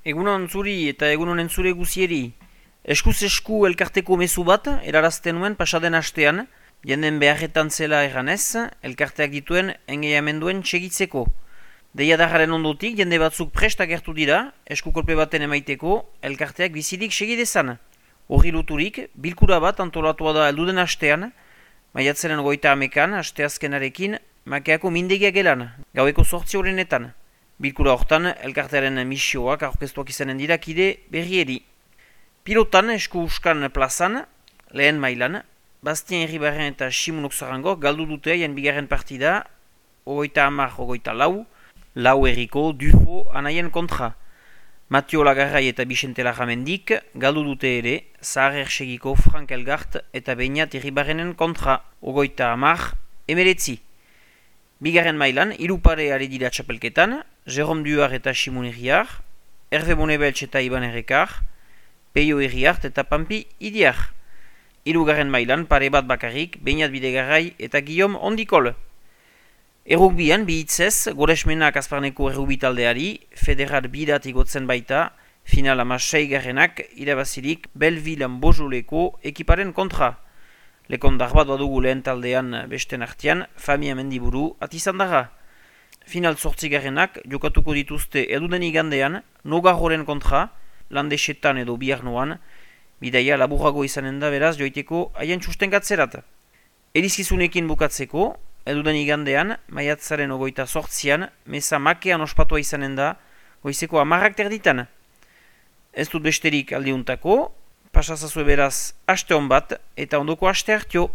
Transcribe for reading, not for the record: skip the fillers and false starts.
Egunon zuri eta egunon entzure guzieri. Eskuz esku elkarteko mezu bat, erarazten nuen pasaden hastean, jenden beharretan zela erranez, elkarteak dituen engeiamenduen txegitzeko. Deiadarraren ondotik, jende batzuk prest agertu dira, eskukolpe baten emaiteko, elkarteak bizirik segidezan. Horri luturik, bilkura bat antolatua da elduden hastean, maiatzaren 30an, asteazkenarekin, makeako mindegia gelan, gaueko 8 horrenetan. Bilkura hortan, elkartearen misioak aurkeztuak izanen dira kide berrieri. Pilotan, esku uskan plazan, lehen mailan, Bastien Herribarren eta Simunok Zarango galdu dute haien bigarren partida, 30-24, lau herriko Dufo anaien kontra. Matio Lagarrai eta Bixente Larramendik galdu dute ere, Zahar Ersegiko Frank Elgart eta Beñat Herribarrenen kontra, 30-19. Bigarren mailan, irupare ari dira txapelketan, Jerome Duar eta Simon Herriar, Hervé Bonebeltz eta Iban Errekar, Peio Herriart eta Pampi Idiar. Hirugarren mailan, pare bat bakarrik, Beñat Bidegarrai eta Guillaume Ondikol. Errugbian, bihitzez, Goresmenak Azparneko errugbi taldeari, federat bidat igotzen baita, final 6-garrenak irabazirik Belvilan Bojoleko ekiparen kontra. Lekondar bat badugu lehen taldean besten artean, Famia Mendiburu atizandarra. Final 8-garrenak jokatuko dituzte eduden igandean, Nogarroren kontra, Landesetan edo Biarnoan, bidaia laburrago izanen da beraz joiteko haien sustengatzerat. Erizkizunekin bukatzeko, eduden igandean, maiatzaren 28an, meza makean ospatua izanen da, goizeko 10 terditan. Ez dut besterik aldiuntako, pasazazue beraz aste hon bat eta ondoko aste hartio.